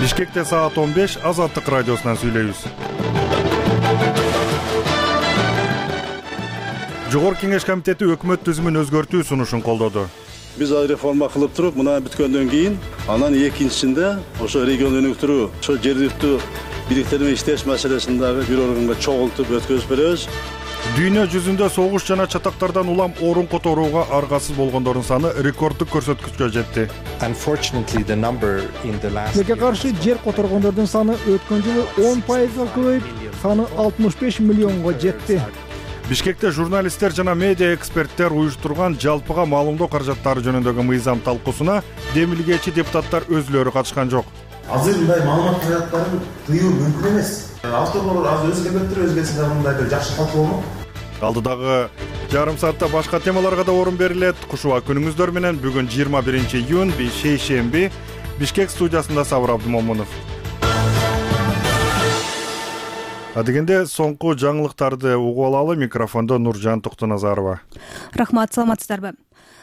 Бишкекте саат 15 Азаттык радиосунан сүйлөйбүз. Жогорку Кеңеш комитети өкмөт түзүмүн өзгөртүү сунушун колдоду. Биз реформа кылып туруп, мына бүткөндөн кийин, анан экинчисинде ошо регион өнүктүрүү, ошо жергиликтүү бийликтер менен иштеш маселесин дагы бир органга чогултуп өткөзүп беребиз. Дүйнө жүзүндө согуш жана чатактардан улам орун которууга аргасыз болгондордун саны рекорддук көрсөткүчкө жетти. Тилге каршы жер которгондордун саны өткөн жылы 10% көбөйүп, саны 65 миллионго жетти. Бишкекте журналисттер жана медиа эксперттер уюштурган жалпыга маалымдоо каражаттары жөнүндөгү мыйзам талкуусуна демилгечи депутаттар өзүлөрү катышкан жок. Азыр мындай маалымат каражаттарын тыюу мүмкүн эмес. Авторлор аз өзгөчө мындай бир жакшы талкуу болмок. Алдыдагы жарым саатта башка темаларга да орун берилет. Кушуба күнүңүздөр менен бүгүн 21-июнь шейшемби Бишкек студиясында Сабыр Абдымомунов. Адегенде соңку жаңылыктарды угуп алалы. Микрофондо Нуржан Токтоназарова. Рахмат, саламатсыздарбы?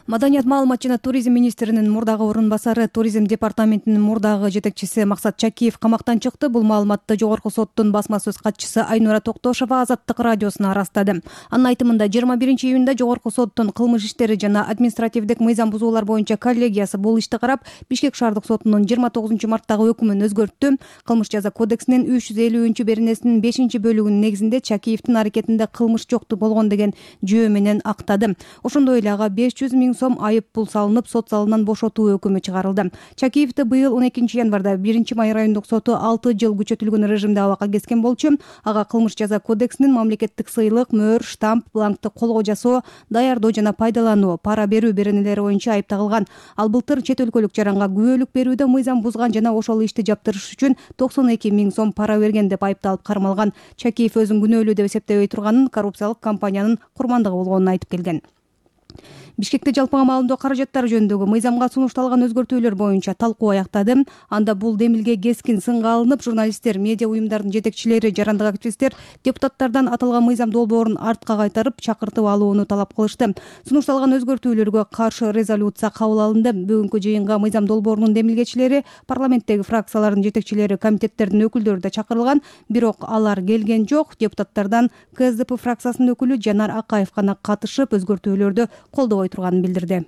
Маданият, маалымат жана туризм министринин мурдагы орун басары, туризм департаментинин мурдагы жетекчиси Максат Чакиев камактан чыкты. Бул маалыматты Жогорку соттун басма сөз катчысы Айнура Токтошова Азаттык радиосуна ырастады. Анын айтымында 21-июнда Жогорку соттун кылмыш иштери жана административдик мыйзам бузуулар боюнча коллегиясы бул ишти карап, Бишкек шаардык сотунун 29-марттагы өкүмүн өзгөрттү. Кылмыш жаза кодексинин 350-беренесинин 5-бөлүгүнүн негизинде Чакиевдин аракетинде кылмыш жокту болгон деген жөө менен актады. Ошондой эле ага 500 000 сом айып пул салынып, сот залынан бошотуу өкүмү чыгарылды. Чакиевди быйыл 12-январда 1-Май райондук соту 6 жыл күчөтүлгөн режимде абакка кескен болчу. Ага кылмыш жаза кодексинин мамлекеттик сыйлык, мөөр, штамп, бланкты колго жасоо, даярдоо жана пайдалануу, пара берүү беренелери боюнча айып тагылган. Ал былтыр чет өлкөлүк жаранга күбөлүк берүүдө мыйзам бузган жана ошол ишти жаптырыш үчүн 92 000 сом пара берген деп айыпталып кармалган. Чакиев өзүн күнөөлүү деп эсептебей турганын, коррупциялык компаниянын курмандыгы болгонун айтып келген. Бишкекте жалпыга маалымдоо каражаттары жөнүндөгү мыйзамга сунушталган өзгөртүүлөр боюнча талкуу аяктады. Анда бул демилге кескин сынга алынып, журналисттер, медиа уюмдардын жетекчилери, жарандык активисттер депутаттардан аталган мыйзам долбоорун артка кайтарып, чакыртып алууну талап кылышты. Сунушталган өзгөртүүлөргө каршы резолюция кабыл алынды. Бүгүнкү жыйынга мыйзам долбоорунун демилгечилери, парламенттеги фракциялардын жетекчилери, комитеттердин өкүлдөрү да чакырылган, бирок алар келген жок. Депутаттардан КСДП фракциясынын өкүлү Жанар Акаев гана катышып, өзгөртүүлөрдү колдобой турганын билдирди.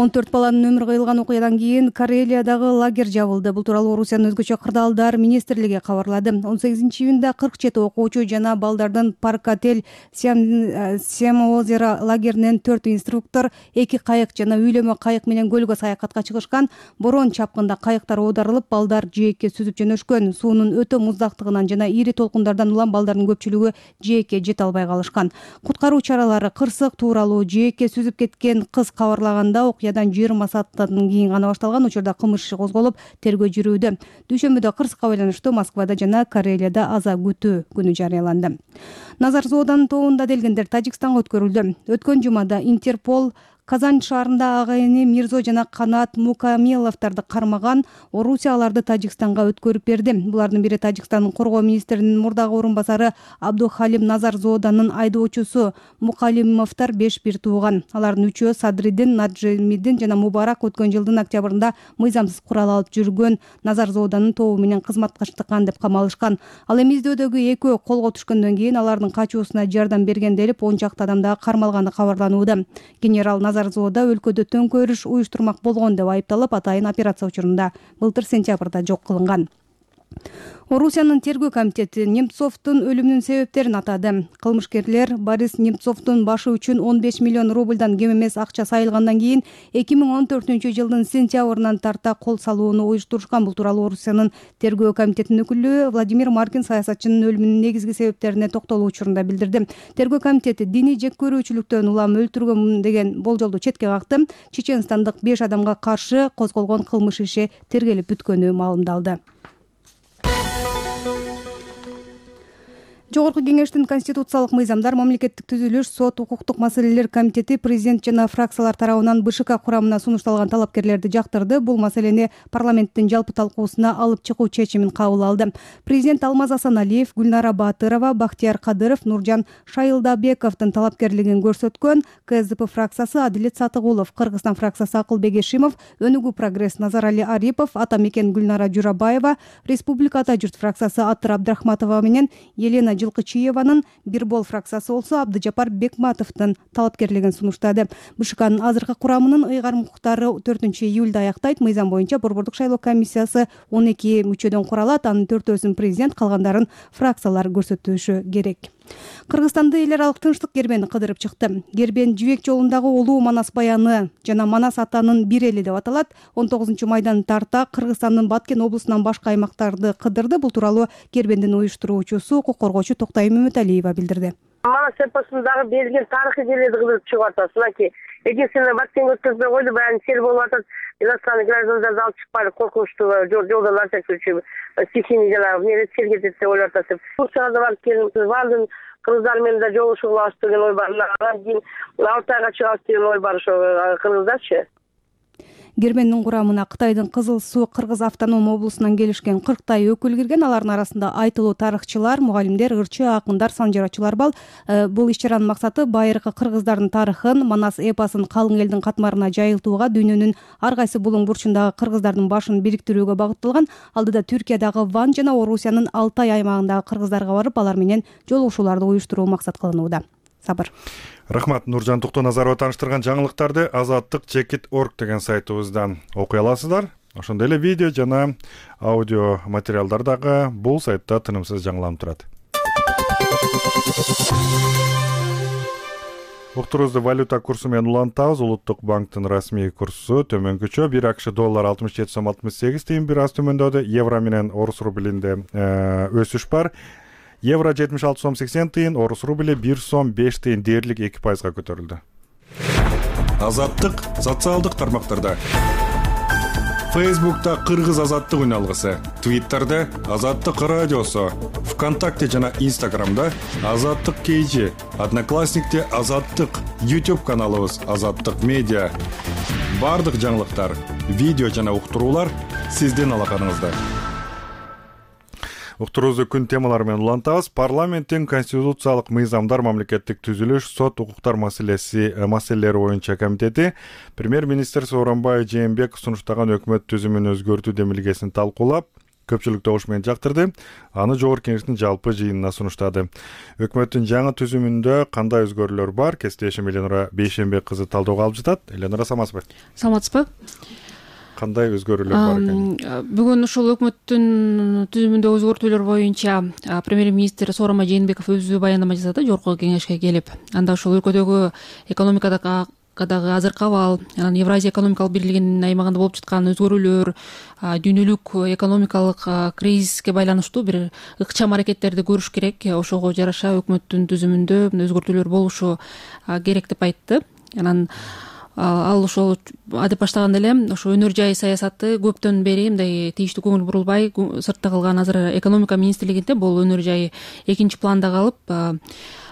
14 баланын өмүрү кыйылган окуядан кийин Карелиядагы лагерь жабылды. Бул тууралуу Орусиянын өзгөчө кырдаалдар министрлиги кабарлады. 18-июнда 47 окуучу жана балдардын Парк-отель Сем-озеро лагеринен 4 инструктор, 2 кайык жана үйлөмө кайык менен көлгө саякатка чыгышкан. Борон чапкында кайыктар оодарылып, балдар жээкке сүзүп жөнөшкөн. Суунун өтө муздактыгынан жана ири толкундардан улам балдардын көпчүлүгү жээкке жете албай калышкан. Куткаруу чаралары кырсык тууралуу жээкке сүзүп кеткен кыз кабарлаганда окуядан 20 сааттан кийин гана башталган. Учурда кылмыш иши козголуп, тергөө жүрүүдө. Дүйшөмбүдө кырсыкка байланыштуу Москвада жана Карелияда аза күтүү күнү жарыяланды. Назар Зооданын тобунда делгендер Тажикстанга өткөрүлдү. Өткөн жумада Интерпол Казань шаарында агайыны Мирзо жана Канат Мукамиловдорду кармаган. Орусия аларды Тажикстанга өткөрүп берди. Булардын бири Тажикстандын коргоо министринин мурдагы орун басары Абдухалим Назар Зооданын айдоочусу. Мукалимовдор 5 бир тууган. Алардын үчөө Садриддин, Наджимиддин жана Мубарак өткөн жылдын октябрында мыйзамсыз курал алып жүргөн Назар Зооданын тобу менен кызматташтыккан деп камалышкан. Ал эми издөөдөгү экөө колго түшкөндөн кийин алардын качуусуна жардам берген делип 10 чакты адам дагы кармалганы кабарланууда. Генерал Назар Зоода өлкөдө төңкөрүш уюштурмак болгон деп айыпталып, атайын операция учурунда былтыр сентябрда жок кылынган. Орусиянын тергөө комитети Немцовдун өлүмүнүн себептерин атады. Кылмышкерлер Борис Немцовдун башы үчүн 15 миллион рубльдан кем эмес акча сайылгандан кийин 2014-жылдын сентябрынан тарта кол салууну уюштурушкан. Бул тууралуу Орусиянын тергөө комитетинин өкүлү Владимир Маркин саясатчынын өлүмүнүн негизги себептерине токтолуу учурунда билдирди. Тергөө комитети диний жеккөрүүчүлүктөн улам өлтүргөн деген болжолду четке какты. Чеченстандык 5 адамга каршы козголгон кылмыш иши тергелип бүткөнү маалымдалды. Жогорку кеңештин конституциялык мыйзамдар, мамлекеттик түзүлүш, сот, укуктук маселелер комитети президент жана фракциялар тарабынан БШК курамына сунушталган талапкерлерди жактырды. Бул маселени парламенттин жалпы талкуусуна алып чыгуу чечимин кабыл алды. Президент Алмаз Асаналиев, Гүлнара Баатырова, Бактияр Кадыров, Нуржан Шайылдабековдун талапкерлигин көрсөткөн КСДП фракциясы Адилет Сатыгулов, Кыргызстан фракциясы Акылбек Эшимов, Өнүгүү прогресс Назарали Арипов, Атамекен Гүлнара Журабаева, Республика Ата журт фракциясы Аттыр Абдрахматова менен Елена Жылкычиеванын, Бирбол фракциясы болсо Абдыжапар Бекматовдун талапкерлигин сунуштады. БШКнын азыркы курамынын ыйгарым укуктары 4-июлда аяктайт. Мыйзам боюнча борбордук шайлоо комиссиясы 12 мүчөдөн куралат. Анын 4-өсүн президент, калгандарын фракциялар көрсөтүшү керек. Кыргызстанды эл аралык тынчтык кербени кыдырып чыкты. Кербен Жибек жолундагы улуу Манас баяны жана Манас атанын бир эли деп аталат. 19-майдан тарта Кыргызстандын Баткен облусунан башка аймактарды кыдырды. Бул тууралуу Кербендин уюштуруучусу, укук коргоочу Токтай Мөмөталиева билдирди. Манас эпосундагы берилген тарыхый жерлерди кыдырып чыгып атат. Мынакей экинчисине Баткенге өткөзбөй койду, баягы сел болуп атат. Иностранный граждандарды алып чыкпайлы, коркунучтуу жолдон ача көчүп, стихийный жанагы эмне сел кетет деп ойлоп атат. Турцияга да барып келдим. Бардым, кыргыздар менен да жолугушуп алабыз деген ой бар. Анан кийин Алтайга чыгабыз деген ой бар ошо кыргыздарчы. Кербендин курамына Кытайдын Кызыл Суу Кыргыз автоном облусунан келишкен 40 өкүл кирген. Алардын арасында айтылуу тарыхчылар, мугалимдер, ырчы, акындар, санжарачылар бар. Бул иш-чаранын максаты байыркы кыргыздардын тарыхын, Манас эпосын калың элдин катмарына жайылтууга, дүйнөнүн ар кайсы булуң бурчундагы кыргыздардын башын бириктирүүгө багытталган. Алдыда Түркиядагы Ван жана Орусиянын Алтай аймагындагы кыргыздарга барып, алар менен жолугушууларды уюштуруу максат кылынууда. Сабыр. Рахмат. Нуржан Туктоназарова тааныштырган жаңылыктарды azattik.org деген сайтыбыздан окуй аласыздар. Ошондой эле видео жана аудио материалдар дагы бул сайтта тынымсыз жаңыланып турат. Уктурубузду валюта курсу менен улантабыз. Улуттук банктын расмий курсу төмөнкүчө. 1 акш доллар 67,68 тыйын бир аз төмөндөдү. Евро менен орус рублинде өсүш бар. Евро 76,80 тыйын, орус рубли 1 сом 5 тыйын дээрлик 2% көтөрүлдү. Азаттык социалдык тармактарда. Фейсбукта Кыргыз азаттык үналгысы, Твиттерде Азаттык радиосу, ВКонтакте жана Инстаграмда Азаттык KG, Одноклассникте Азаттык, YouTube каналыбыз Азаттык медиа. Бардык жаңылыктар, видео жана уктуруулар сиздин алаканыңызда. Уктурубузду күн темалары менен улантабыз. Парламенттин конституциялык мыйзамдар, мамлекеттик түзүлүш, сот, укуктар маселелери боюнча комитети премьер-министр Сооронбай Жээнбеков сунуштаган өкмөт түзүмүн өзгөртүү демилгесин талкуулап, көпчүлүк добуш менен жактырды. Аны жогорку кеңештин жалпы жыйынына сунуштады. Өкмөттүн жаңы түзүмүндө кандай өзгөрүүлөр бар? Кесиптешим Эленора Бейшенбек кызы талдөөгө алып жатат. Эленора, саламатсызбы? Саламатсызбы? Кандай өзгөрүүлөр бар экен? Бүгүн ушул өкмөттүн түзүмүндө өзгөртүүлөр боюнча премьер-министр Сооронбай Жээнбеков өзү баяндама жасады жогорку кеңешке келип. Анда ушул өлкөдөгү экономикадагы азыркы абал, анан Евразия экономикалык бирлигинин аймагында болуп жаткан өзгөрүүлөр, дүйнөлүк экономикалык кризиске байланыштуу бир ыкчам аракеттерди көрүш керек. Ошого жараша өкмөттүн түзүмүндө өзгөртүүлөр болушу керек деп айтты. Анан ал ошол адеп баштаганда эле ошо өнөр жай саясаты көптөн бери мындай тийиштүү көңүл бурулбай сыртта калган. Азыр экономика министрлигинде бул өнөр жай экинчи планда калып,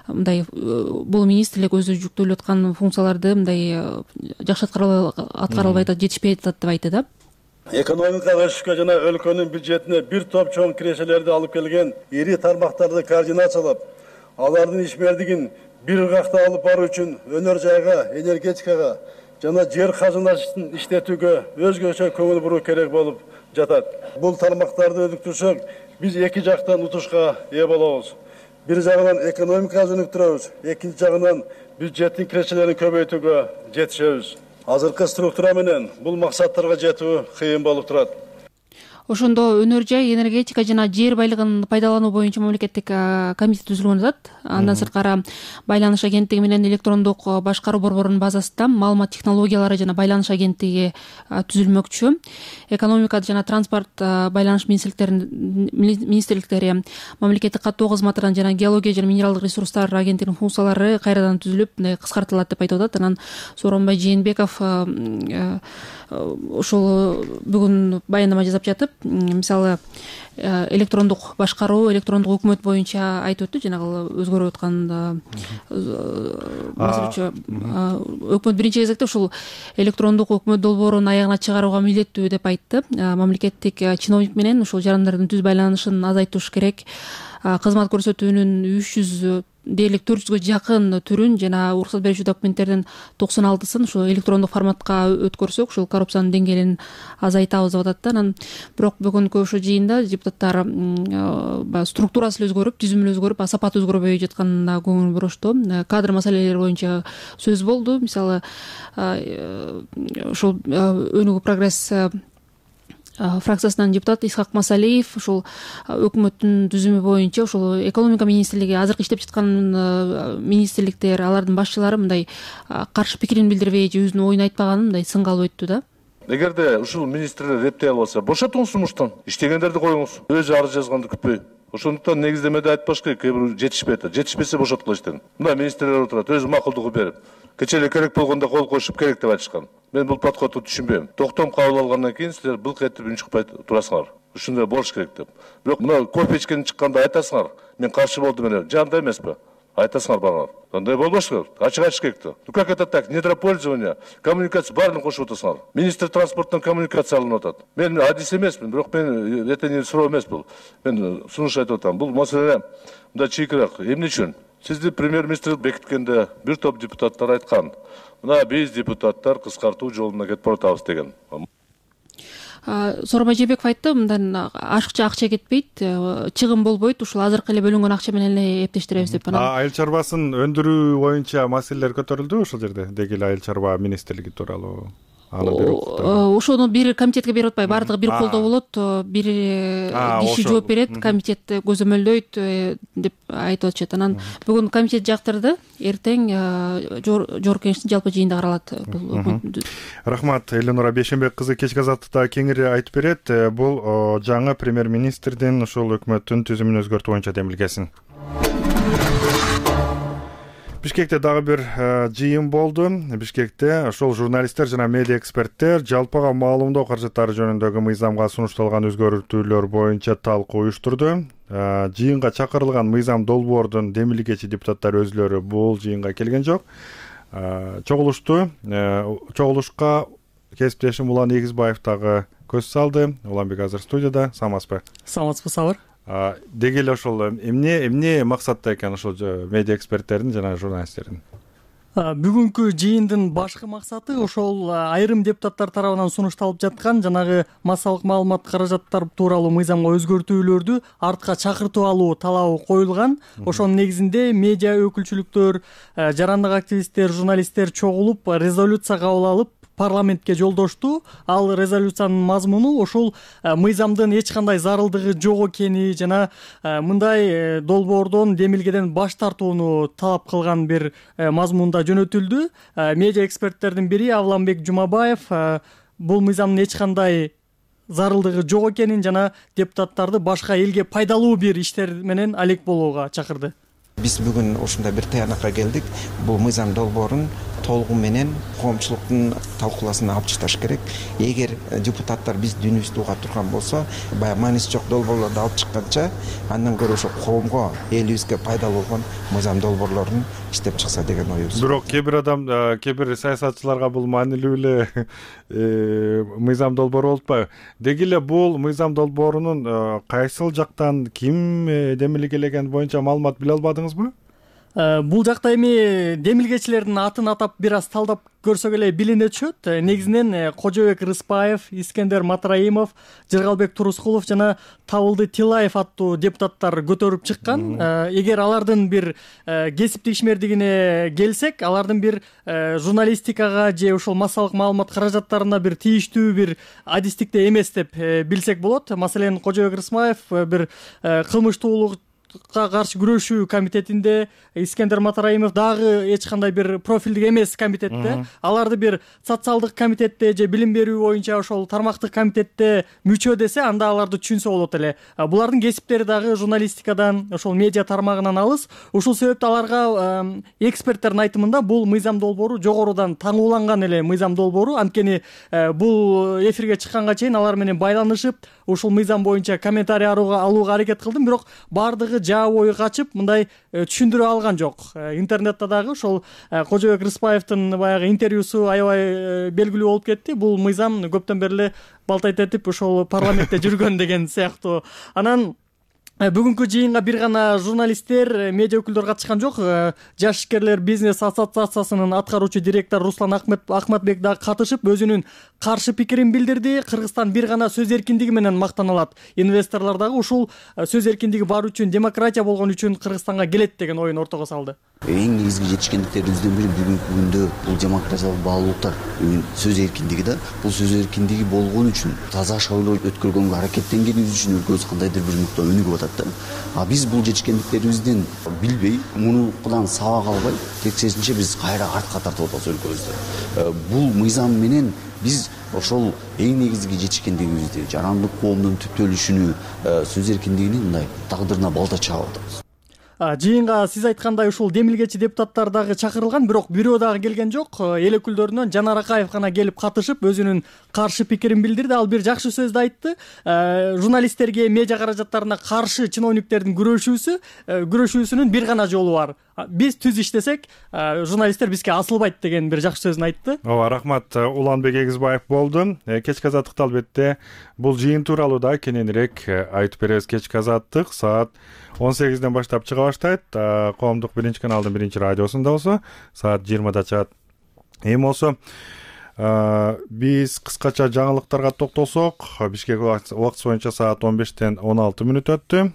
мындай бул министрлик өзү жүктөлүп аткан функцияларды мындай жакшы аткара албай атат, жетишпей атат деп айтты да. Экономикалык өсүшкө жана өлкөнүн бюджетине бир топ чоң кирешелерди алып келген ири тармактарды координациялап, алардын ишмердигин бир ыргакта алып баруу үчүн өнөр жайга, энергетикага жана жер казынасын иштетүүгө өзгөчө көңүл буруу керек болуп жатат. Бул тармактарды өнүктүрсөк, биз эки жактан утушка ээ болобуз. Бир жагынан экономиканы өнүктүрөбүз, экинчи жагынан бюджеттин кирешелерин көбөйтүүгө жетишебиз. Азыркы структура менен бул максаттарга жетүү кыйын болуп турат. Ошондо өнөр жай, энергетика жана жер байлыгын пайдалануу боюнча мамлекеттик комитет түзүлгөн атат. Андан сырткары байланыш агенттиги менен электрондук башкаруу борборунун базасында маалымат технологиялары жана байланыш агенттиги түзүлмөкчү. Экономика жана транспорт байланыш министрликтери мамлекеттик каттоо кызматынан жана геология жана минералдык ресурстар агенттигинин функциялары кайрадан түзүлүп, кыскартылат деп айтып атат. Анан Сооронбай Жээнбеков ошол бүгүн баяндама жасап жатып, мисалы электрондук башкаруу, электрондук өкмөт боюнча айтып өттү, жанагы өзгөрүп аткан маселечи. Өкмөт биринчи кезекте ушул электрондук өкмөт долбоорун аягына чыгарууга милдеттүү деп айтты. Мамлекеттик чиновник менен ушул жарандардын түз байланышын азайтыш керек. Кызмат көрсөтүүнүн 300 дээрлик 400гө жакын түрүн жана уруксат берүүчү документтердин 96сын ушу электрондук форматка өткөрсөк, ушул коррупциянын деңгээлин азайтабыз деп атат да. Анан бирок бүгүнкү ошо жыйында депутаттар структурасы эле өзгөрүп, түзүмү эле өзгөрүп, сапаты өзгөрбөй жатканына көңүл бурушту. Кадр маселелери боюнча сөз болду. Мисалы ушул Өнүгүү прогресс фракциясынан депутат Исхак Масалиев ушул өкмөттүн түзүмү боюнча ушул экономика министрлиги, азыркы иштеп жаткан министрликтер, алардын башчылары мындай каршы пикирин билдирбей же өзүнүн оюн айтпаганын мындай сынга алып өттү да. Эгерде ушул министрлер эптей албаса, бошотуңуз сумуштан, иштегендерди коюңуз. Өзү арыз жазганды күтпөй. Ошондуктан негиздемеде айтпаш керек, кээ бир жетишпейт. Жетишпесе бошоткула иштен. Мына министрлер отурат, өзү макулдугу берип. Кече эле керек болгондо кол коюшуп керек деп айтышкан. Мен бул подходду түшүнбөйм. Токтом кабыл алгандан кийин силер былк этип үн чыкпай турасыңар. Ушундай болуш керек деп. Бирок мына кофе ичкен чыкканда айтасыңар, мен каршы болдум эле. Жанда эмеспи? Айтасыңар барыңар. Андай болбош керек. Ачык айтыш керек да. Ну как это так? Недропользование, коммуникация баарын кошуп атасыңар. Министр транспорттон коммуникация алынып атат. Мен адис эмесмин, бирок мен этени суроо эмес бул. Мен сунуш айтып атам. Бул маселе мындай чийкирээк. Эмне үчүн? Сизди премьер-министр бекиткенде бир топ депутаттар айткан. Мына биз депутаттар кыскартуу жолуна кетип баратабыз деген. Сооронбай Жээнбеков айтты, мындан ашыкча акча кетпейт, чыгым болбойт, ушул азыркы эле бөлүнгөн акча менен эле эптештиребиз деп. Айыл чарбасын өндүрүү боюнча маселелер көтөрүлдү ошол жерде, деги эле айыл чарба министрлиги тууралуу. Ошону бир комитетке берип атпай, баардыгы бир колдо болот, бир киши жооп берет, комитет көзөмөлдөйт деп айтып атышат. Анан бүгүн комитет жактырды, эртең жогорку кеңештин жалпы жыйында каралат бул. Рахмат, Эленора Бейшенбек кызы кечки азаттыкта кеңири айтып берет. Бул жаңы премьер-министрдин ушул өкмөттүн түзүмүн өзгөртүү боюнча демилгесин. Бишкекте дагы бир жыйын болду. Бишкекте ошол журналисттер жана медиа эксперттер жалпыга маалымдоо каражаттары жөнүндөгү мыйзамга сунушталган өзгөртүүлөр боюнча талкуу уюштурду. Жыйынга чакырылган мыйзам долбоордун демилгечи депутаттар өзүлөрү бул жыйынга келген жок. Чогулушка кесиптешим Улан Эгизбаев дагы көз салды. Уланбек азыр студияда. Саламатсызбы? Саламатсызбы, Сабыр. Деги эле ошол эмне максатта экен ошол медиа эксперттердин жана журналисттердин? Бүгүнкү жыйындын башкы максаты ошол айрым депутаттар тарабынан сунушталып жаткан жанагы массалык маалымат каражаттары тууралуу мыйзамга өзгөртүүлөрдү артка чакыртып алуу талабы коюлган. Ошонун негизинде медиа өкүлчүлүктөр, жарандык активисттер, журналисттер чогулуп резолюция кабыл алып парламентке жолдошту. Ал резолюциянын мазмуну ошол мыйзамдын эч кандай зарылдыгы жок экени жана мындай долбоордон, демилгеден баш тартууну талап кылган бир мазмунда жөнөтүлдү. Медиа эксперттердин бири Авланбек Жумабаев бул мыйзамдын эч кандай зарылдыгы жок экенин жана депутаттарды башка элге пайдалуу бир иштер менен алек болууга чакырды. Биз бүгүн ушундай бир таянакка келдик. Бул мыйзам долбоорун толугу менен коомчулуктун талкууласына алып чыгыш керек. Эгер депутаттар биз дүйнүбүздү уга турган болсо, баягы мааниси жок долбоорлорду алып чыкканча, андан көрө ошо коомго, элибизге пайдалуу болгон мыйзам долбоорлорун иштеп чыкса деген оюбуз. Бирок кээ бир саясатчыларга бул маанилүү эле мыйзам долбоору болуп атпайбы? Деги эле бул мыйзам долбоорунун кайсыл жактан ким демилгелеген боюнча маалымат биле албадыңызбы? Бул жакта эми демилгечилердин атын атап бир аз талдап көрсөк эле билине түшөт. Негизинен Кожобек Рыспаев, Искендер Матраимов, Жыргалбек Турускулов жана Табылды Тилаев аттуу депутаттар көтөрүп чыккан. Эгер алардын бир кесиптик ишмердигине келсек, алардын бир журналистикага же ошол массалык маалымат каражаттарына бир тийиштүү бир адистикте эмес деп билсек болот. Маселен, Кожобек Рыспаев бир кылмыштуулук каршы күрөшүү комитетинде Искендер Матараимов дагы эч кандай бир профилдик эмес комитетте, аларды бир социалдык комитетте же билим берүү боюнча ошол тармактык комитетте мүчө десе, анда аларды түшүнсө болот эле. Булардын кесиптери дагы журналистикадан, ошол медиа тармагынан алыс. Ушул себептен аларга эксперттердин айтымында бул мыйзам долбоору жогорудан таңууланган эле мыйзам долбоору. Анткени бул эфирге чыкканга чейин алар менен байланышып, ушул мыйзам боюнча комментарий алууга аракет кылдым, бирок баардыгы жаа бою качып, мындай түшүндүрө алган жок. Интернетте дагы ошол Кожобек Рыспаевдин баягы интервьюсу аябай белгилүү болуп кетти. Бул мыйзам көптөн бери эле балтайт этип ошол парламентте жүргөн деген сыяктуу. Анан бүгүнкү жыйынга бир гана журналисттер, медиа өкүлдөр катышкан жок. Жаш ишкерлер бизнес ассоциациясынын аткаруучу директору Руслан Ахматбек дагы катышып, өзүнүн каршы пикирин билдирди. Кыргызстан бир гана сөз эркиндиги менен мактаналат. Инвесторлор дагы ушул сөз эркиндиги бар үчүн, демократия болгон үчүн Кыргызстанга келет деген оюн ортого салды. Эң негизги жетишкендиктерибиздин бири бүгүнкү күндө бул демократиялык баалуулуктар, сөз эркиндиги да. Бул сөз эркиндиги болгон үчүн таза шайлоо өткөргөнгө аракеттенгенибиз үчүн өлкөбүз кандайдыр бир нукта өнүгүп атат да. А биз бул жетишкендиктерибизден билбей, мунудан сабак албай, тескерисинче биз кайра артка тартып атабыз өлкөбүздү. Бул мыйзам менен биз ошол эң негизги жетишкендигибизди, жарандык коомдун түптөлүшүнү, сөз эркиндигинин мындай тагдырына балта чаап атабыз. Жыйынга сиз айткандай ушул демилгечи депутаттар дагы чакырылган, бирок бирөө дагы келген жок. Эл өкүлдөрүнөн Жанар Акаев гана келип катышып, өзүнүн каршы пикирин билдирди. Ал бир жакшы сөздү айтты. Журналисттерге, медиа каражаттарына каршы чиновниктердин күрөшүүсүнүн бир гана жолу бар. Биз түз иштесек, журналисттер бизге асылбайт деген бир жакшы сөзүн айтты. Ооба, рахмат. Уланбек Эгизбаев болду. Кечки азаттыкта албетте бул жыйын тууралуу да кененирээк айтып беребиз. Кечки азаттык саат 18ден баштап чыга баштайт. Коомдук биринчи каналдын биринчи радиосунда болсо саат 20да чыгат. Эми болсо биз кыскача жаңылыктарга токтолсок, Бишкек убактысы боюнча саат 15ден 16 мүнөт өттү.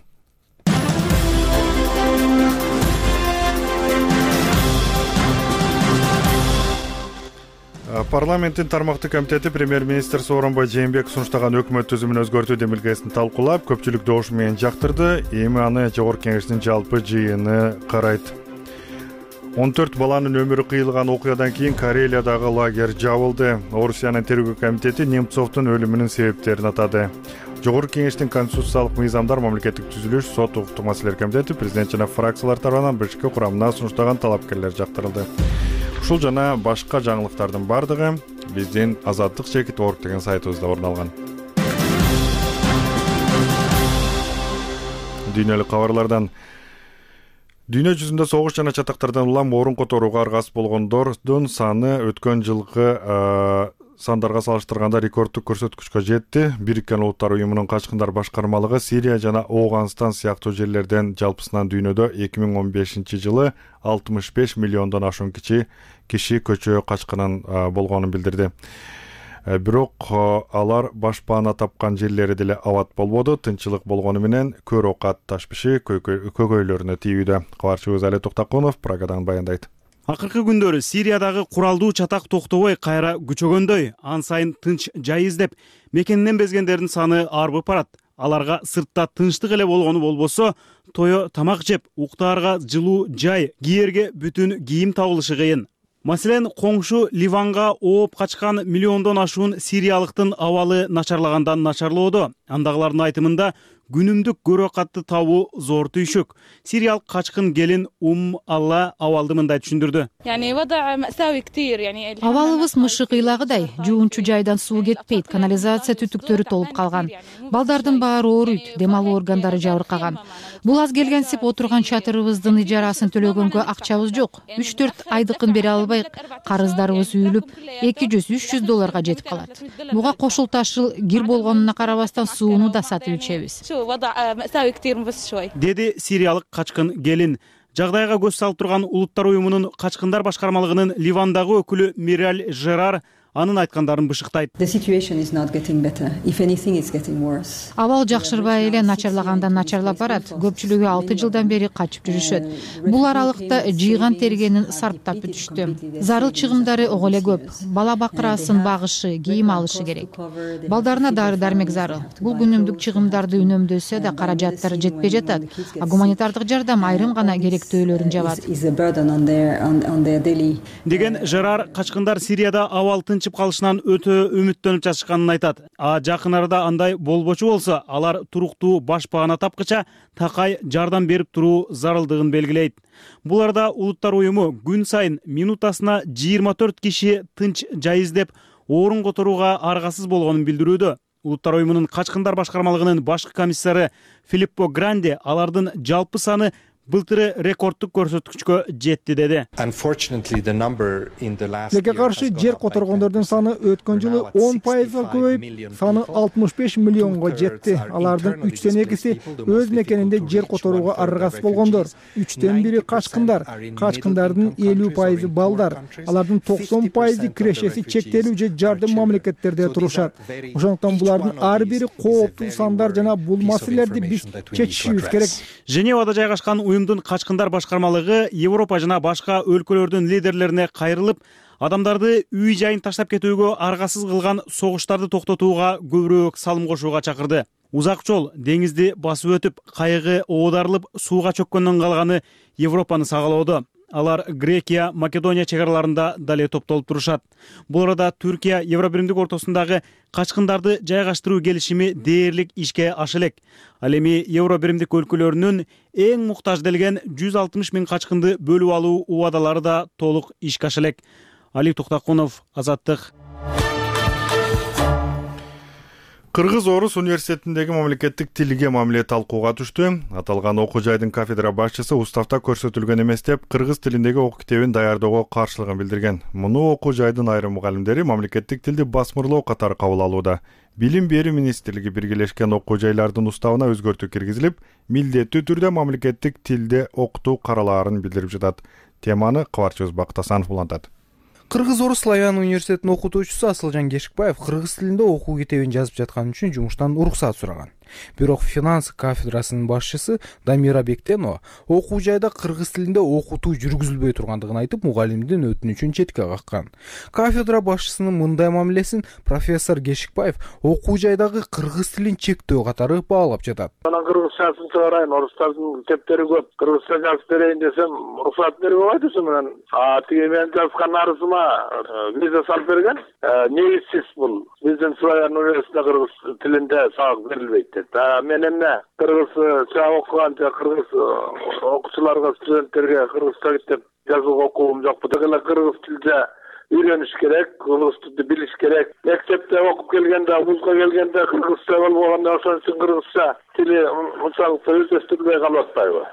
Парламенттин тармактык комитети премьер-министр Сооронбай Жээнбеков сунуштаган өкмөт түзүмүн өзгөртүү демилгесин талкуулап, көпчүлүк добуш менен жактырды. Эми аны Жогорку Кеңештин жалпы жыйыны карайт. 14 баланын өмүрү кыйылган окуядан кийин Карелиядагы лагерь жабылды. Орусиянын тергөө комитети Немцовдун өлүмүнүн себептерин атады. Жогорку Кеңештин конституциялык мыйзамдар, мамлекеттик түзүлүш, сот укуктук маселелер комитети президент жана фракциялар тарабынан биринчи курамына сунуштаган талапкерлер жактырылды. Ушул жана башка жаңылыктардын бардыгы биздин Азаттык Чекит Орг деген сайтыбызда орун алган. Дүйнөлүк кабарлардан дүйнө жүзүндө согуш жана чатактардан улам орун которууга аргасыз болгондордун саны өткөн жылкы сандарга салыштырганда рекордтук көрсөткүчкө жетти. Бириккен Улуттар уюмунун качкындар башкармалыгы Сирия жана Ооганстан сыяктуу жерлерден жалпысынан дүйнөдө 2015-жылы 65 миллиондон ашуун киши көчө качкынын болгонун билдирди. Бирок алар башпаана тапкан жерлери деле абат болбоду. Тынччылык болгону менен көр оокат ташпиши көкөйлөрүнө тийүүдө. Кабарчыбыз Али Токтакунов Прагадан баяндайт. Акыркы күндөрү Сириядагы куралдуу чатак токтобой кайра күчөгөндөй, ан сайын тынч жай издеп, мекенинен безгендердин саны арбып барат. Аларга сыртта тынчтык эле болгону болбосо, тое тамак жеп, уктаарга жылуу жай, кийерге бүтүн кийим табылышы кыйын. Маселен, коңшу Ливанга ооп качкан миллиондон ашуун сириялыктын абалы начарлагандан начарлоодо. Андагылардын айтымында күнүмдүк көрөкатты табуу зор түйшүк. Сириялык качкын келин Алла абалды мындай түшүндүрдү. Абалыбыз мышык ыйлагыдай, жуунчу жайдан суу кетпейт, канализация түтүктөрү толуп калган. Балдардын баары ооруйт, дем алуу органдары жабыркаган. Бул аз келгенсип отурган чатырыбыздын ижарасын төлөгөнгө акчабыз жок. 3-4 айдыкын бере албай, карыздарыбыз үйүлүп, $200-300 жетип калат. Буга кошулту жыл кир болгонуна карабастан сууну да сатып ичебиз. Деди сириялык качкын келин. Жагдайга көз салып турган Улуттар уюмунун качкындар башкармалыгынын Ливандагы өкүлү Мираль Жерар анын айткандарын бышыктайт. Абал жакшырбай эле начарлагандан начарлап барат. Көпчүлүгү 6 жылдан бери качып жүрүшөт. Бул аралыкта жыйган тергенин сарптап бүтүштү. Зарыл чыгымдары ого эле көп. Бала бакырасын багышы, кийим алышы керек. Балдарына дары-дармек зарыл. Бул күнүмдүк чыгымдарды үнөмдөсө да каражаттары жетпей жатат. А гуманитардык жардам айрым гана керектөөлөрүн жабат. Деген Жерар качкындар Сирияда абал тынчып калышынан өтө үмүттөнүп жатышканын айтат. А жакын арада андай болбочу болсо, алар туруктуу башпаана тапкыча такай жардам берип туруу зарылдыгын белгилейт. Бул арада Улуттар уюму күн сайын минутасына 24 киши тынч жай издеп, орун которууга аргасыз болгонун билдирүүдө. Улуттар уюмунун качкындар башкармалыгынын башкы комиссары Филиппо Гранди алардын жалпы саны былтыры рекорддук көрсөткүчкө жетти деди. Тилекке каршы жер которгондордун саны өткөн жылы 10%га көбөйүп, саны 65 миллионго жетти. Алардын 3тен 2си өз мекенинде жер которууга аргасыз болгондор. 3тен 1 качкындар. Качкындардын 50% балдар. Алардын 90% кирешеси чектелүү же жардым мамлекеттерде турушат. Ошондуктан булардын ар бири кооптуу сандар жана бул маселелерди биз чечишибиз керек. Женевада жайгашкан уюмдун качкындар башкармалыгы Европа жана башка өлкөлөрдүн лидерлерине кайрылып, адамдарды үй жайын таштап кетүүгө аргасыз кылган согуштарды токтотууга көбүрөөк салым кошууга чакырды. Узак жол деңизди басып өтүп, кайыгы оодарылып сууга чөккөндөн калганы Европаны сагалоодо. Алар Грекия, Македония чек араларында дале топтолуп турушат. Бул арада Түркия Евробиримдик ортосундагы качкындарды жайгаштыруу келишими дээрлик ишке аша элек. Ал эми Евробиримдик өлкөлөрүнүн эң муктаж делген 160 000 качкынды бөлүп алуу убадалары да толук ишке аша элек. Али Токтакунов, Азаттык. Кыргыз-Орус университетиндеги мамлекеттик тилге мамиле талкууга түштү. Аталган окуу жайдын кафедра башчысы уставда көрсөтүлгөн эмес деп, кыргыз тилиндеги окуу китебин даярдоого каршылыгын билдирген. Муну окуу жайдын айрым мугалимдери мамлекеттик тилди басмырлоо катары кабыл алууда. Билим берүү министрлиги биргелешкен окуу жайлардын уставына өзгөртүү киргизилип, милдеттүү түрдө мамлекеттик тилде окутуу каралаарын билдирип жатат. Теманы Кыбарчы Бактасанов улантат. Кыргыз-Орус славян университетинин окутуучусу Асылжан Кешикбаев кыргыз тилинде окуу китебин жазып жаткан үчүн жумуштан уруксат сураган. Бирок финанс кафедрасынын башчысы Дамира Бектенова окуу жайда кыргыз тилинде окутуу жүргүзүлбөй тургандыгын айтып, мугалимдин өтүнүчүн четке каккан. Кафедра башчысынын мындай мамилесин профессор Кешикбаев окуу жайдагы кыргыз тилин чектөө катары баалап жатат. Анан кыргызчасын чыгарайын, орустардын китептери көп. Кыргызча жазып берейин десем, уруксат бербей койду менен. Тиги мен жазган арызыма виза салып берген. Негизсиз бул. Биздин славян университетинде кыргыз тилинде сабак берилбейт деп. Мен эмне кыргызча окуган же кыргыз окуучуларга, студенттерге кыргызча китеп жазууга окуум жокпу. Дегеле кыргыз тилде үйрөнүш керек, кыргыз тилди билиш керек. Мектепте окуп келгенде, вузга келгенде кыргызча болбогондо ошон үчүн кыргызча тили унчалык өздөштүрүлбөй калып атпайбы?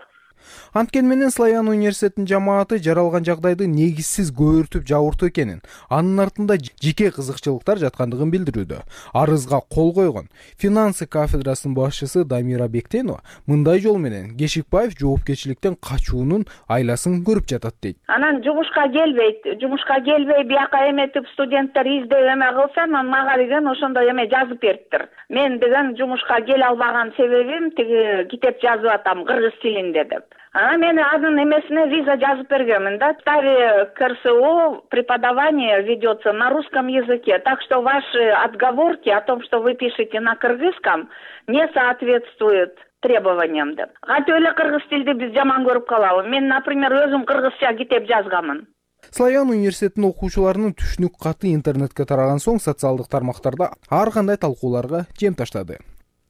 Анткени менен славян университетинин жамааты жаралган жагдайды негизсиз көбүртүп жабыртуу экенин, анын артында жеке кызыкчылыктар жаткандыгын билдирүүдө. Арызга кол койгон финансы кафедрасынын башчысы Дамира Бектенова мындай жол менен Кешикбаев жоопкерчиликтен качуунун айласын көрүп жатат дейт. Анан жумушка келбей бияка эметип студенттер издеп эме кылса, мага деген ошондой эме жазып бериптир. Мен деген жумушка келе албаган себебим тиги китеп жазып атам кыргыз тилинде деп. Мен анын эмесине виза жазып бергенмин да. Стави КРСУ преподавание ведется на русском языке, так что ваши отговорки о том, что вы пишете на кыргызском, не соответствуют требованиям деп. Кантип эле кыргыз тилди биз жаман көрүп калабы? Мен, например, өзүм кыргызча китеп жазганмын. Славян университетинин окуучуларынын түшүнүк каты интернетке тараган соң социалдык тармактарда ар кандай талкууларга жем таштады.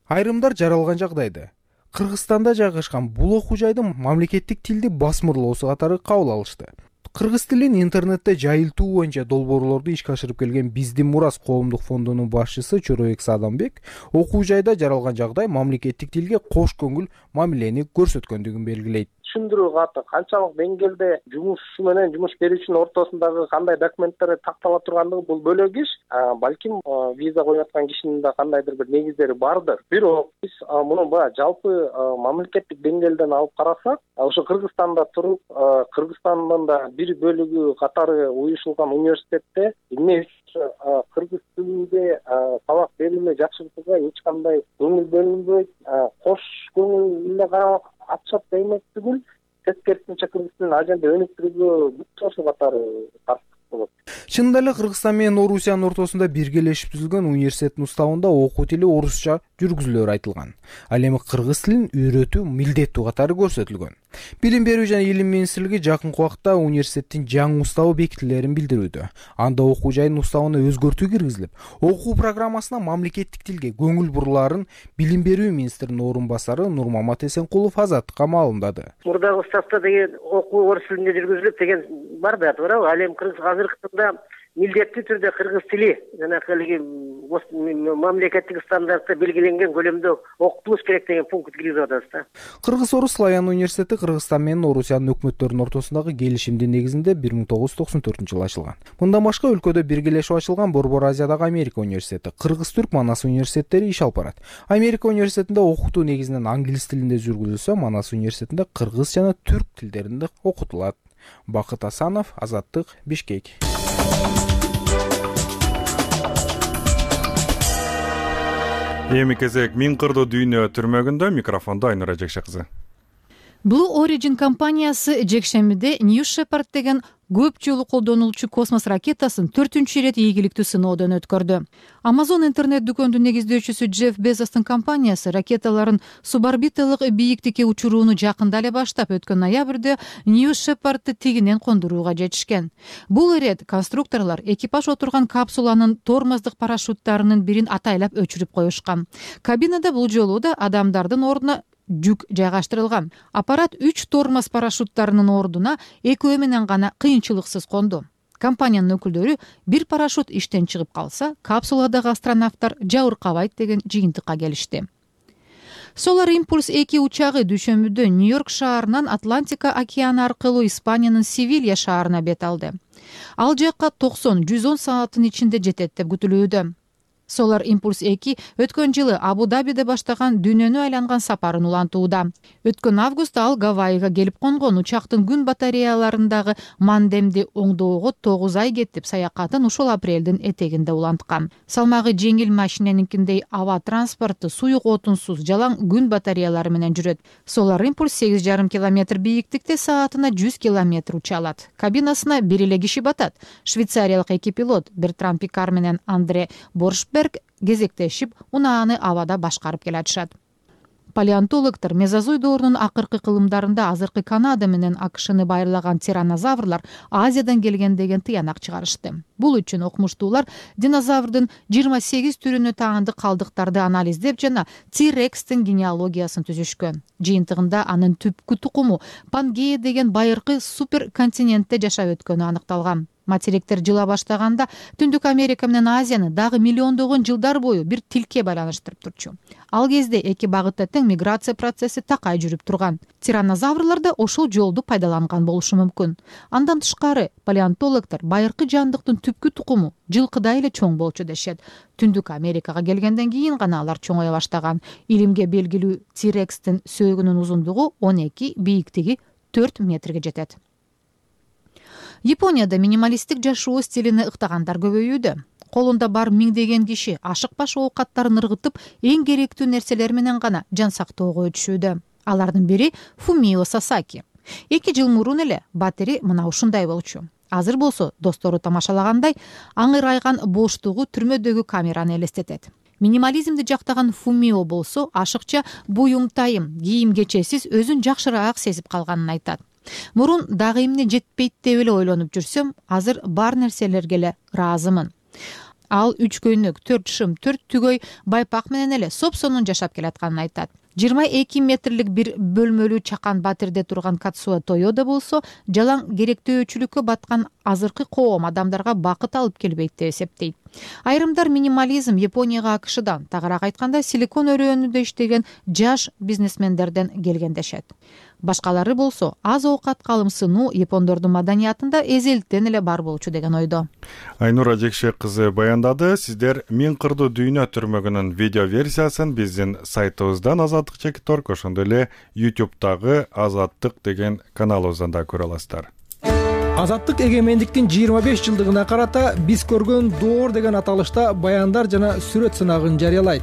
Айрымдар жаралган жагдайды Кыргызстанда жайгашкан бул окуу жайды мамлекеттик тилди басмырлоосу катары кабыл алышты. Кыргыз тилин интернетте жайылтуу боюнча долбоорлорду ишке ашырып келген Биздин Мурас коомдук фондунун башчысы Чоробек Садамбек окуу жайда жаралган жагдай мамлекеттик тилге кош көңүл мамилени көрсөткөндүгүн белгилейт. Түшүндүрүү каты канчалык деңгээлде жумушчу менен жумуш берүүчүнүн ортосундагы кандай документтер тактала тургандыгы бул бөлөк иш. Балким виза коюп аткан кишинин да кандайдыр бир негиздери бардыр. Бирок биз муну баягы жалпы мамлекеттик деңгээлден алып карасак, ошо Кыргызстанда туруп, Кыргызстандын да бир бөлүгү катары уюшулган университетте эмне кыргыз тилинде сабак берилме жакшыртууга эч кандай көңүл бөлүнбөйт. Кош көңүл эле карап атышат демек түгүл, тескерисинче кыргыз тилин ал жерде өнүктүрүүгө бүт ошо катары тартып болот. Чынында эле Кыргызстан менен Орусиянын ортосунда биргелешип түзүлгөн университеттин уставында окуу тили орусча жүргүзүлөөрү айтылган. Ал эми кыргыз тилин үйрөтүү милдеттүү катары көрсөтүлгөн. Билим берүү жана илим министрлиги жакынкы убакта университеттин жаңы уставы бекитилерин билдирүүдө. Анда окуу жайдын уставына өзгөртүү киргизилип, окуу программасына мамлекеттик тилге көңүл бурулаарын Билим берүү министринин орун басары Нурмамат Эсенкулов Азаттыкка маалымдады. Мурдагы уставда деген окуу орус тилинде жүргүзүлүп деген бар да, туурабы? Ал эми азыркы таңда милдеттүү түрдө кыргыз тили жанагы мамлекеттик стандартта белгиленген көлөмдө окутулуш керек деген пункт киргизип атабыз да. Кыргыз-Орус Славян университети Кыргызстан менен Орусиянын өкмөттөрүнүн ортосундагы келишимдин негизинде 1994-жылы ачылган. Мындан башка өлкөдө биргелешип ачылган Борбор Азиядагы Америка университети, Кыргыз-Түрк Манас университеттери иш алып барат. Америка университетинде окутуу негизинен англис тилинде жүргүзүлсө, Манас университетинде кыргыз жана түрк тилдеринде окутулат. Бакыт Асанов, Азаттык, Бишкек. Эми кезек Миң кырдуу дүйнө түрмөгүндө, микрофондо Айнура Жекше кызы. Blue Origin компаниясы жекшембиде New Shepard деген көп жолу колдонулчу космос ракетасын 4-рет ийгиликтүү сыноодон өткөрдү. Amazon интернет дүкөндүн негиздөөчүсү Джефф Безостун компаниясы ракеталарын суборбиталык бийиктикке учурууну жакында эле баштап, өткөн ноябрда New Shepard'ты тигинен кондурууга жетишкен. Бул ирет конструкторлор экипаж отурган капсуланын тормоздук парашюттарынын бирин атайлап өчүрүп коюшкан. Кабинада бул жолу да адамдардын ордуна жүк жайгаштырылган. Аппарат 3 тормоз парашюттарынын ордуна экөө менен гана кыйынчылыксыз конду. Компаниянын өкүлдөрү бир парашют иштен чыгып калса, капсуладагы астронавттар жабыркабайт деген жыйынтыкка келишти. Solar Impulse 2 учагы дүйшөмбүдө Нью-Йорк шаарынан Атлантика океаны аркылуу Испаниянын Севилья шаарына бет алды. Ал жакка 90-110 сааттын ичинде жетет деп күтүлүүдө. Solar Impulse 2 өткөн жылы Абу-Дабиде баштаган дүйнөнү айланган сапарын улантууда. Өткөн августта ал Гавайыга келип конгон. Учактын күн батареяларындагы мандемди оңдоого 9 ай кетип, саякатын ушул апрелдин этегинде уланткан. Салмагы жеңил машиненинкиндей аба транспорту суюк отунсуз жалаң күн батареялары менен жүрөт. Solar Impulse 8,5 километр бийиктикте саатына 100 километр уча алат. Кабинасына бир эле киши батат. Швейцариялык эки пилот Бертран Пикар менен Андре Боршберг кезектешип, унааны абада башкарып келатышат. Палеонтологдор мезозой доорунун акыркы кылымдарында азыркы Канада менен АКШны байырлаган тиранозаврлар Азиядан келген деген тыянак чыгарышты. Бул үчүн окумуштуулар динозаврдын 28 түрүнө таандык калдыктарды анализдеп жана T-Rex'тин генеалогиясын түзүшкөн. Жыйынтыгында анын түпкү тукуму Пангея деген байыркы суперконтинентте жашап өткөнү аныкталган. Материктер жыла баштаганда Түндүк Америка менен Азияны дагы миллиондогон жылдар бою бир тилке байланыштырып турчу. Ал кезде эки багытта тең миграция процесси такай жүрүп турган. Тиранозаврлар да ошол жолду пайдаланган болушу мүмкүн. Андан тышкары палеонтологдор байыркы жандыктын түпкү тукуму жылкыдай эле чоң болчу дешет. Түндүк Америкага келгенден кийин гана алар чоңое баштаган. Илимге белгилүү T-Rex'тин сөөгүнүн узундугу 12, бийиктиги 4 метрге жетет. Японияда минималисттик жашоо стилине ыктагандар көбөйүүдө. Колунда бар миңдеген киши ашыкпаш оокаттарын ыргытып, эң керектүү нерселер менен гана жан сактоого өтүшүүдө. Алардын бири Фумио Сасаки. 2 жыл мурун эле батири мына ушундай болчу. Азыр болсо достору тамашалагандай аңырайган боштугу түрмөдөгү камераны элестетет. Минимализмди жактаган Фумио болсо ашыкча буюм-тайым, кийим-кечесиз өзүн жакшыраак сезип калганын айтат. Мурун дагы эмне жетпейт деп эле ойлонуп жүрсөм, азыр бар нерселерге эле ыраазымын. Ал 3 көйнөк, 4 шым, 4 түгөй байпак менен эле сопсонун жашап келатканын айтат. 22 метрлик бир бөлмөлүү чакан батирде турган Катсуо Тойода болсо, жалаң керектөөчүлүккө баткан азыркы коом адамдарга бакыт алып келбейт деп эсептейт. Айрымдар минимализм Японияга АКШдан, тагыраак айтканда силикон өрөөнүндө иштеген жаш бизнесмендерден келген дешет. Башкалары болсо аз оокат калымсынуу япондордун маданиятында эзелтен эле бар болчу деген ойдо. Айнура Жекше кызы баяндады. Сиздер Миң кырдуу дүйнө түрмөгүнүн видео версиясын биздин сайтыбыздан azatlyk.org, ошондой эле YouTube'дагы Азаттык деген каналыбыздан да көрө аласыздар. Азаттык эгемендиктин 25 жылдыгына карата биз көргөн доор деген аталышта баяндар жана сүрөт сынагын жарыялайт.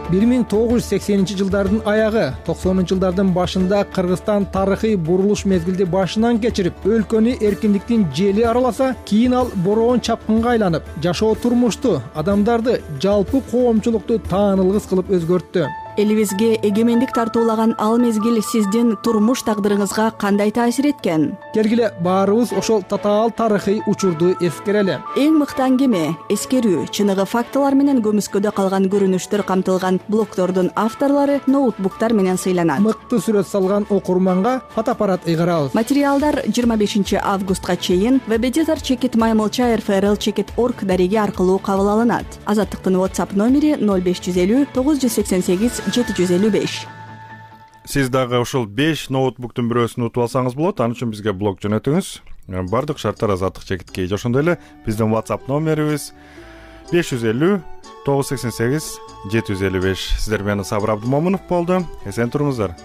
1980-жылдардын аягы, 90-жылдардын башында Кыргызстан тарыхый бурулуш мезгилди башынан кечирип, өлкөнү эркиндиктин жели араласа, кийин ал бороон чапкынга айланып, жашоо турмушту, адамдарды, жалпы коомчулукту таанылгыс кылып өзгөрттү. Элибизге эгемендик тартуулаган ал мезгил сиздин турмуш тагдырыңызга кандай таасир эткен? Келгиле баарыбыз ошол татаал тарыхый учурду эскерели. Эң мыкты аңгеме, эскерүү, чыныгы фактылар менен көмүскөдө калган көрүнүштөр камтылган блогтордун авторлору ноутбуктар менен сыйланат. Мыкты сүрөт салган окурманга фотоаппарат ыйгарабыз. Материалдар 25 августка чейин www.maymolcha.rfrl.org дареги аркылуу кабыл алынат. Азаттыктын WhatsApp номери 0550 988 755. Сиз дагы ушул 5 ноутбуктун бирөөсүн утуп алсаңыз болот. Ал үчүн бизге блог жөнөтүңүз. Бардык шарттар Азаттык чекиткей. Ошондой эле биздин WhatsApp номерибиз 550 988 755. Сиздер менен Сабыр Абдымомунов болду. Эсен туруңуздар.